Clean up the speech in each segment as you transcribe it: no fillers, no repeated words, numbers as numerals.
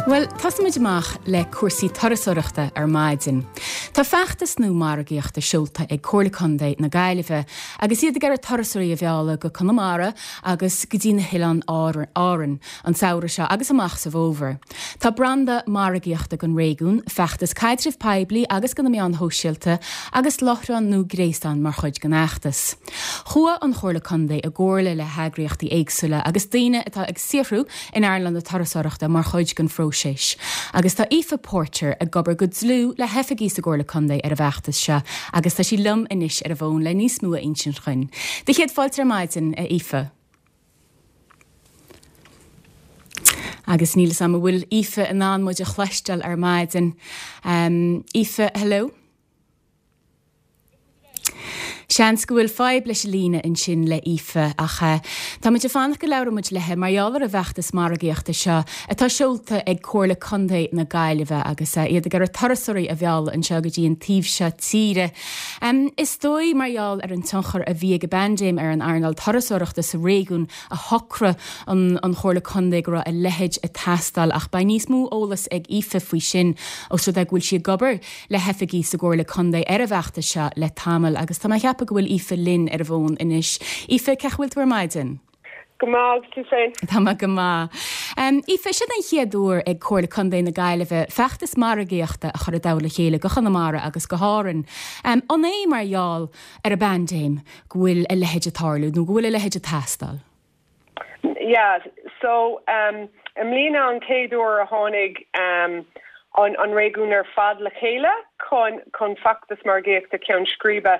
Bhuel, tosóimid amach le cúrsaí turasóireachta ar maidin. Tá feachtas nua margaíochta seolta ag Comhairle Contae na Gaillimhe agus iad ag iarraidh turasóirí a mhealladh go Conamara agus go dtí na hOileáin Árann an samhradh seo agus amach sa bhfómhar. Tá branda margaíochta don réigiún, feachtas caidrimh poiblí agus do na meáin shóisialta agus láithreán nua gréasáin mar chuid den fheachtas. Chuaigh an Chomhairle Contae i gcomhairle le heagraíochtaí éagsúla agus daoine atá ag saothrú in earnáil na turasóireachta mar chuid den phróiseas agus tá Aoife Porter ag obair go dlúth le hoifigigh sa gComhairle Contae ar an bhfeachtas seo agus tá sí liom anois ar an bhfón le níos mó a insint dhuinn. Do chéad fáilte ar maidin, a Aoife. Agus níl 'fhios a'm an bhfuil Aoife in ann muid a chloisteáil ar maidin. Aoife, hello? Seans go bhfuil fadhb leis an líne ansin le Aoife ach tá muid ag fanacht go labhróidh muid léi mar gheall ar an bhfeachtas margaíochta seo atá seolta ag Comhairle Contae na Gaillimhe agus iad ag iarraidh turasóirí a mhealladh anseo go dtí an taobh seo tíre. Is dóigh mar gheall ar an tionchar a bhí ag an bpaindéim ar an earnáil turasóireachta sa réigiún a shocraigh an an Chomhairle Contae go raibh a leithéid ag teastáil ach beidh níos mó eolas ag Aoife faoi sin os rud é go bhfuil sí ag obair le hoifigigh sa gComhairle Contae ar an bhfeachtas seo le tamall agus tá mé ag ceapadh go bhfuil Aoife linn ar an bhfón anois. Aoife, cén chaoi a bhfuil tú ar maidin? Go maith, agus tú féin? Tá mé go maith. Aoife, siod an chéad uair ag Comhairle Contae na Gaillimhe feachtas margaíochta a chur i dtoll a chéile go Chonamara agus go hÁrainn. An é mar gheall ar an bpaindéim go bhfuil a leithéid ag tarlú nó go bhfuil a leithéid ag teastáil? Yeah, so um, i mbliana an chéad uair a tháinig um, an, an réigiún ar fad le chéile chun, chun feachtas margaíochta ceann scríbe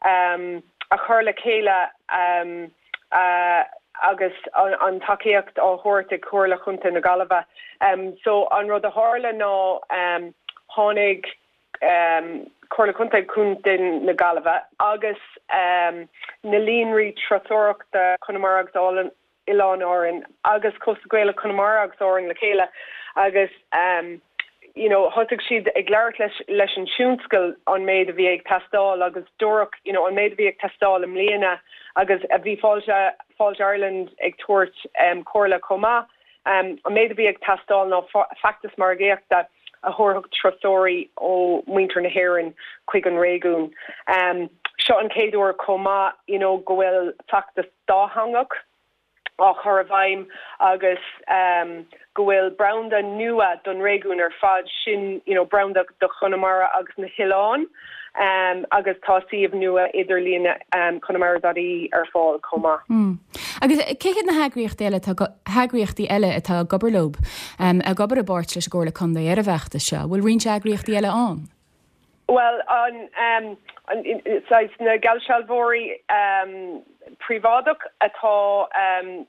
um, a chur le chéile um, uh, agus an, an tacaíocht á thabhairt ag Comhairle Chontae na Gaillimhe. Um, so an rud a tharla ná um, tháinig Comhairle Contae Chontae na Gaillimhe agus na líonraí turasóireachta Conamara agus Oileáin Árann agus Cósta Gaelach Chonamara agus Árann le chéile agus you know thosaigh siad ag labhairt leis leis an tionscal an méid a bhí ag teastáil agus dúradh you know an méid a bhí ag teastáil i mbliana agus a bhí Fáilte Fáilte Ireland ag tabhairt comhairle chomh maith. An méid a bhí ag teastáil ná feachtas margaíochta a thabharfadh turasóirí ó mhuintir na hÉireann chuig an réigiún. Seo an chéad uair chomh maith you know go bhfuil feachtas dátheangach á chur i bhfeidhm agus go bhfuil branda nua don réigiún ar fad, sin you know branda do Chonamara agus na hoileáin agus tá suíomh nua idirlíon conamara.ie ar fáil chomh maith. Agus cé hiad na heagraíochtaí eile atá heagraíochtaí eile atá ag obair leo, ag obair i bpáirt leis an gComhairle Contae ar an bhfeachtas seo? An bhfuil roinnt eagraíochtaí eile ann? Bhuel, an saghas na geallsealbhóirí príobháideach atá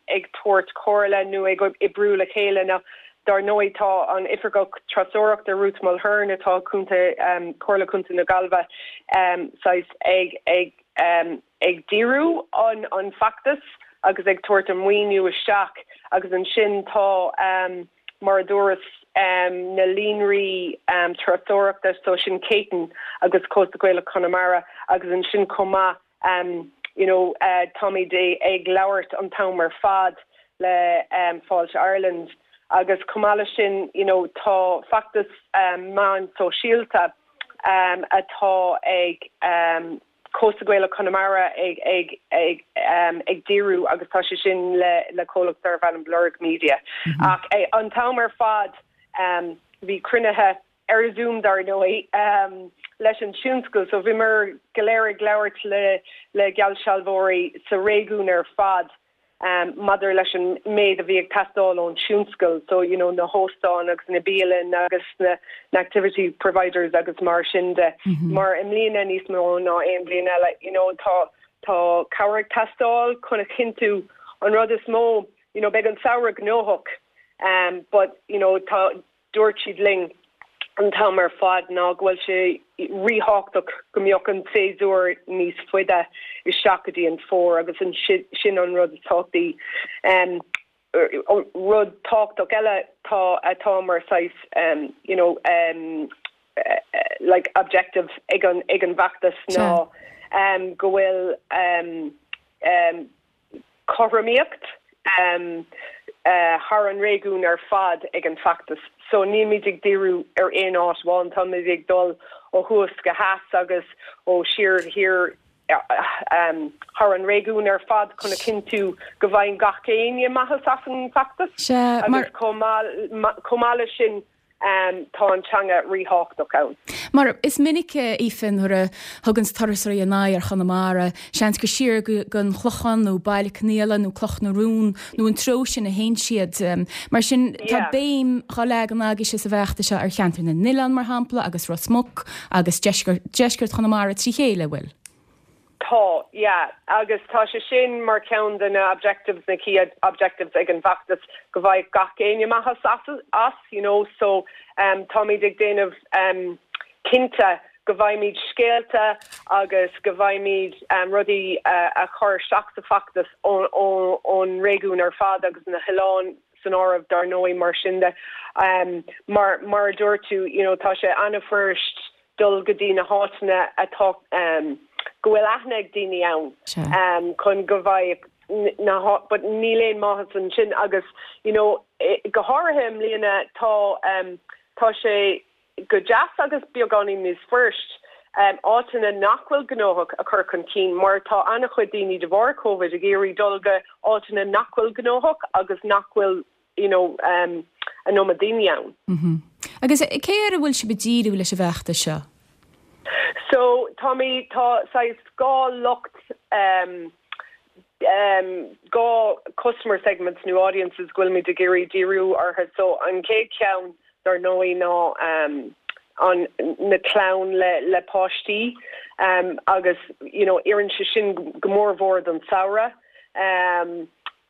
ag tabhairt comhairle nó ag oibriú le chéile ná dar ndóigh tá an Oifigeach Turasóireachta Ruth Mulhern atá Contae Comhairle Contae na Gaillimhe saghas ag ag ag díriú an an feachtas agus ag tabhairt an maoiniú isteach agus ansin tá mar a dúras na líonraí turasóireachta so sin Céitinn agus Cósta Gaelach Chonamara agus ansin chomh maith you know táimid ag labhairt an t-am ar fad le Fáilte Ireland agus chomh maith leis sin you know tá feachtas meán sóisialta atá ag Cósta Gaelach Chonamara ag ag ag ag díriú agus tá sé sin le le comhlacht darbh ainm Blurg Media. Ach an t-am ar fad bhí cruinnithe ar Zoom dar ndóigh leis an tionscal so bhíomar go léir ag labhairt le le geallsealbhóirí sa réigiún ar fad maidir leis an méid a bhí ag teastáil ón tionscal, so you know na hóstáin agus na bialanna agus na na activity providers agus mar sin de. Mar i mbliana níos mó ná aon bhliain eile, you know tá tá cabhair ag teastáil chun a chinntiú an rud is mó, you know beidh an samhradh gnóthach um but you know tá Dúirt siad linn an t-am ar fad ná go bhfuil sé ríthábhachtach go mbeadh an séasúr níos faide isteach go dtí an fómhar agus sin an rud is tábhachtaí. Rud tábhachtach eile tá atá mar saghas you know like objective ag an ag an bhfeachtas ná go bhfuil cothromaíocht. thar an réigiún ar fad ag an bhfeachtas so nílmid ag díriú ar aon áit amháin, táimid ag dul ó thuas go theas agus ó siar go thiar thar an réigiún ar fad chun a chinntiú go bhfaigheann gach éinne maitheas as an bhfeachtas agus chomh maith leis sin Tá an teanga ríthábhachtach ann. Mar is minic, Aoife, nuair a thuganns turasóirí a n-aghaidh ar Chonamara, seans gur siar go an Chlochán nó Baile Conaola nó Cloch na Rún nó an treo sin a théann siad. Mar sin, tá béim dhá leagan agaibhse sa bhfeachtas seo ar cheantar na n-oileán, mar shampla, agus Ros Muc agus deisceart Chonamara trí chéile, an bhfuil? Tá, yeah. Agus tá sé sin mar cheann de na objectives, na key objectives ag an bhfeachtas, go bhfaigheadh gach éinne maitheas as, you know. So táimid ag déanamh cinnte go bhfaighimid scéalta agus go bhfaighimid rudaí a chur isteach sa bhfeachtas ón réigiún ar fad agus na hoileáin san áireamh dar ndóigh mar sin de. Mar mar a dúirt tú, you know, tá sé an-fhuirist dul go dtí na háiteanna atá, go bhfuil aithne ag daoine ann chun go bhfaigheadh na, but níl aon maitheas ansin agus you know go háirithe i mbliana tá, tá sé go deas agus beagáinín níos fuirist áiteanna nach bhfuil gnóthach a chur chun cinn mar tá an-chuid daoine de bharr Covid ag iarraidh dul go áiteanna nach bhfuil gnóthach agus nach bhfuil you know, an iomad daoine ann. Agus cé air a bhfuil sibh ag díriú leis an bhfeachtas seo? So, táimid, tá saghas 2 lucht, 2 customer segments nó audiences go bhfuilimid ag iarraidh díriú orthu. So, an chéad cheann, dar ndóigh, ná an, na clann le, le páistí agus, you know, oireann sé sin go mór mhór don samhradh.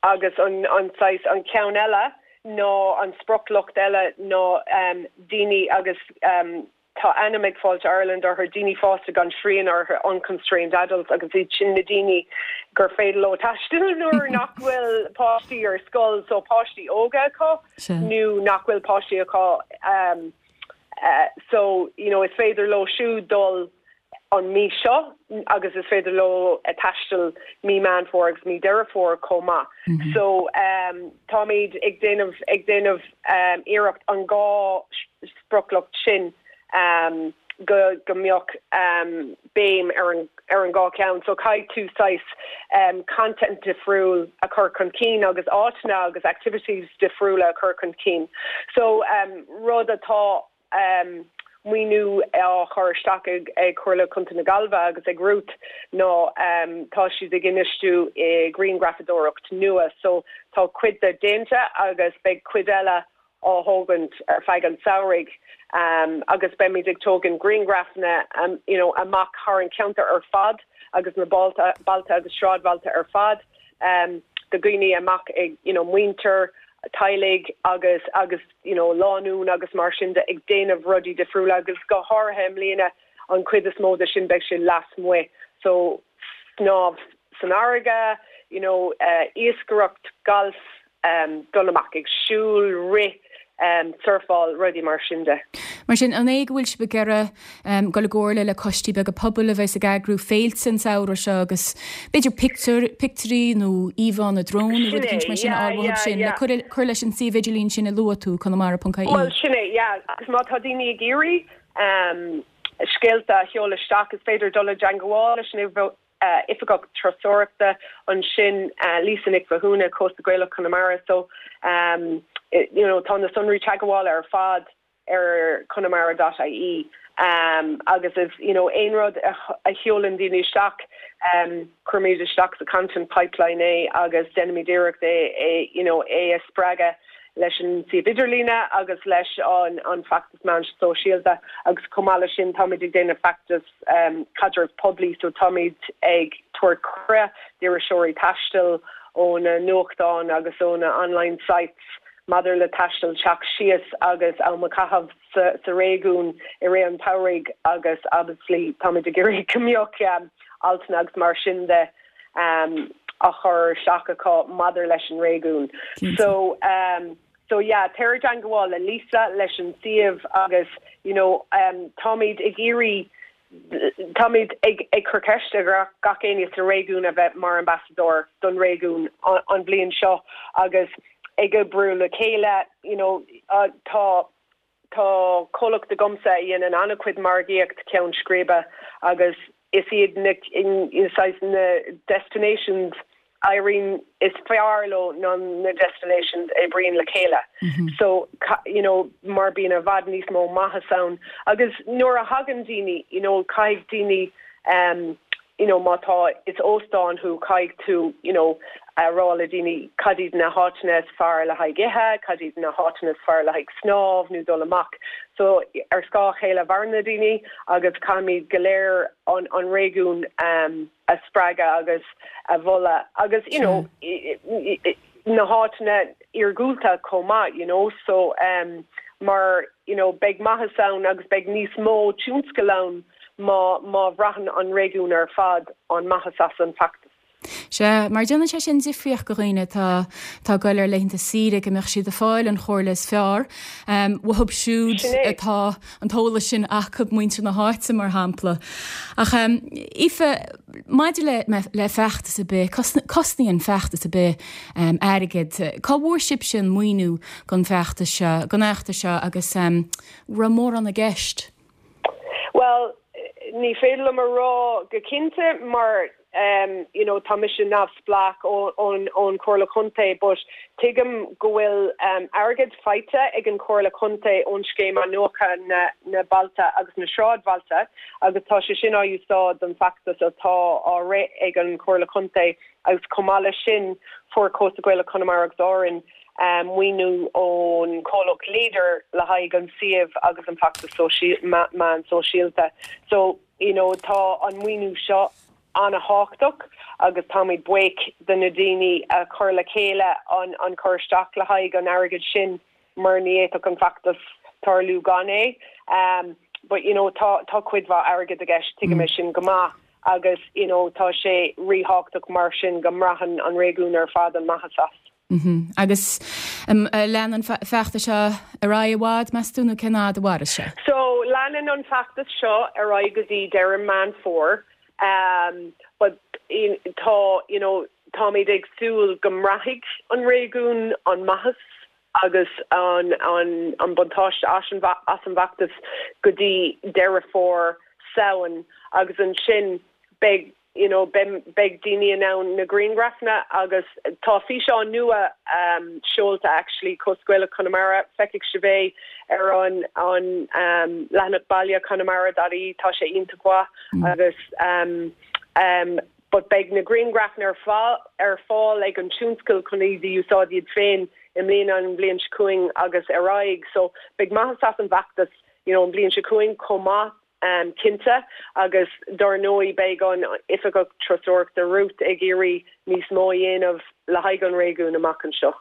Agus an saghas, an ceann eile ná, an sprioclucht eile ná daoine agus tá ainm ag Fáilte Ireland orthu, daoine fásta gan srian orthu, unconstrained adults, agus iad sin na daoine gur féidir leo taisteal nuair nach bhfuil páistí ar scoil, so páistí óga acu nó nach bhfuil páistí acu so you know is féidir leo siúd dul an mí seo agus is féidir leo taisteal mí Meán Fómhair agus mí Deireadh Fómhair chomh maith. So táimid ag déanamh ag déanamh iarracht an dá sprioclucht sin go go mbeadh béim ar an ar an dhá cheann. So caithfidh tú saghas content difriúil a chur chun cinn agus áiteanna agus activities difriúla a chur chun cinn. So rud atá maoiniú á chur isteach ag Comhairle Contae na Gaillimhe agus ag Ruth ná tá siad ag infheistiú i grianghrafadóireacht nua so tá cuid de déanta agus beidh cuid eile á thógaint ar feadh an tsamhraidh agus beimid ag tógaint grianghrafanna you know amach thar an cheantar ar fad agus na bailte agus sráidbhailte ar fad de dhaoine amach ag you know muintir teaghlaigh agus agus you know lánúin agus mar sin de ag déanamh rudaí difriúla agus go háirithe i mbliana an chuid is mó de sin beidh sé lasmuigh so snámh san fharraige you know iascaireacht, galf, dul amach ag siúl, rith, surfáil, rudaí mar sin de. Mar sin, an é go bhfuil sibh ag iarraidh dul i gcomhairle le coistí beaga pobail a bheas ag eagrú féilte an samhradh seo agus b'fhéidir pictiúir, pictiúirí nó íomhánna drón nó rud eicínt mar sin a fháil uathu sin le cur, cur leis an suíomh idirlín sin a luaigh tú, conamara.ie. Bhuel, sin é, yeah. Agus má tá daoine ag iarraidh scéalta a sheoladh isteach, is féidir dul i dteangmháil leis an Oifigeach Turasóireachta ansin, Lisa Nic Mhathúna, Cósta Gaelach Chonamara. So, you know, tá na sonraí teagmhála ar fad ar conamara dot ie agus is, you know, aon rud a sheolann daoine isteach, cuirimid isteach sa content pipeline é agus déanaimid iarracht é, é, you know, é a spreagadh leis an suíomh idirlíne agus leis an an feachtas meán sóisialta agus chomh maith leis sin táimid ag déanamh feachtas caidreamh poiblí so táimid ag tabhairt cuireadh d'iriseoirí taistil ó na nuachtáin agus ó na online sites maidir le taisteal teacht síos agus am a chaitheamh sa réigiún i rith an tsamhraidh agus obviously táimid ag iarraidh go mbeadh altanna agus mar sin de á chur isteach acu maidir leis an réigiún. So so yeah téir i dteangmháil le Lisa leis an suíomh agus you know táimid ag iarraidh táimid ag ag cur ceist ar gach éinne sa réigiún a bheith mar ambasadóir don réigiún an bhliain seo agus. ag oibriú le chéile you know tá tá comhlacht agamsa a dhéanann an-chuid margaíocht ceann scríbe agus is iad na saghas na destinations a éiríonn is fearr leo ná na destinations a oibríonn le chéile. So you know mar bíonn i bhfad níos mó maitheas ann agus nuair a thagann daoine you know caithfidh daoine um you know má tá is óstán thú caithfidh tú you know a rá le daoine cad iad na háiteanna is fearr le haghaidh ithe, cad iad na háiteanna is fearr le haghaidh snámh nó dul amach. So ar scáth a chéile a mhaireann na daoine agus caithfimid go léir an an réigiún um a spreagadh agus a mholadh agus you know na háiteanna iargúlta chomh maith you know so um mar you know beidh maitheas ann agus beidh níos mó tionscal ann má má bhraitheann an réigiún ar fad an maitheas as an bhfeachtas. Sea, mar déanann sé sin difríocht go dhaoine atá atá ag goil ar laethanta saoire go mbeadh siad ag fáil an chomhairle is fearr uathu siúd atá an t-eolas sin acu, muintir na háite, mar shampla. Ach, Aoife, maidir le le feachtas ar bith, cosnaíonn feachtas ar bith airgead. Cá bhfuair sibhse an maoiniú don bhfeachtas seo, don fheachtas seo agus an raibh mórán i gceist? Bhuel, ní féidir liom a rá go cinnte mar you know tá mise neamhspleách ón ón Chomhairle Chontae but tuigim go bhfuil airgead faighte ag an Chomhairle Chontae ón Scéim Athnuachana na na Bailte agus na Sráidbhailte agus tá sé sin á úsáid don feachtas atá á rith ag an Chomhairle Chontae agus chomh maith leis sin fuair Cósta Gaelach Chonamara agus Árann maoiniú ón chomhlacht Leader le haghaidh an suíomh agus an feachtas meán sóisialta. So, you know, tá an maoiniú seo an-thábhachtach agus táimid buíoch de na daoine a chuir le chéile an an cur isteach le haghaidh an airgid sin mar ní fhéadfadh an feachtas tarlú gan é. But, you know, tá tá cuid mhaith airgid i gceist, tuigim é sin go maith agus, you know, tá sé ríthábhachtach mar sin go mbraitheann an réigiún ar fad an maitheas as. Agus leanann an feachtas seo ar aghaidh i bhfad, meas tú, nó cén fhad a mhairfidh sé? So, leanann an feachtas seo ar aghaidh go dtí deireadh Meán Fómhair. But tá, you know, táimid ag súil go mbraithfidh an réigiún an maitheas agus an an an buntáiste as an as an bhfeachtas go dtí Deireadh Fómhair, Samhain agus ansin beidh you know beidh daoine in ann na grianghrafanna agus tá físeán nua seolta actually Cósta Gaelach Chonamara, feicfidh sibh é ar an an leathanach baile conamara dot ie tá sé iontach mhaith agus but beidh na grianghrafanna ar fáil ar fáil ag an tionscal chun iad a úsáid iad féin i mbliana an bhliain seo chugainn agus ar aghaidh so beidh maitheas as an bhfeachtas you know an bhliain seo chugainn chomh maith. cinnte, agus dár ndóigh beidh an Oifigeach Turasóireachta Ruth ag iarraidh níos mó a dhéanamh le haghaidh an réigiúin amach anseo.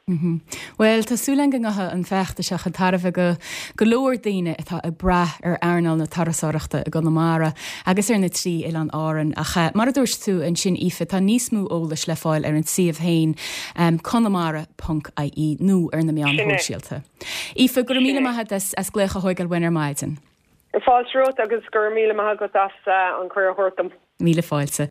Bhuel, tá súil againn go ngeachaidh an feachtas seo chun tairbhe go go leor daoine atá ag brath ar earnáil na turasóireachta i gConamara agus ar na trí oileán Árann. Ach mar a dúirt tú ansin, Aoife, tá níos mó eolais le fáil ar an suíomh féin, conamara ponc ie, nó ar na meáin shóisialta. Aoife, go raibh míle maith agat as glaoch a thóigeáil uainn ar maidin. Fáilte romhat agus go raibh míle maith agat as an cuireadh a thabhairt dom. Míle fáilte.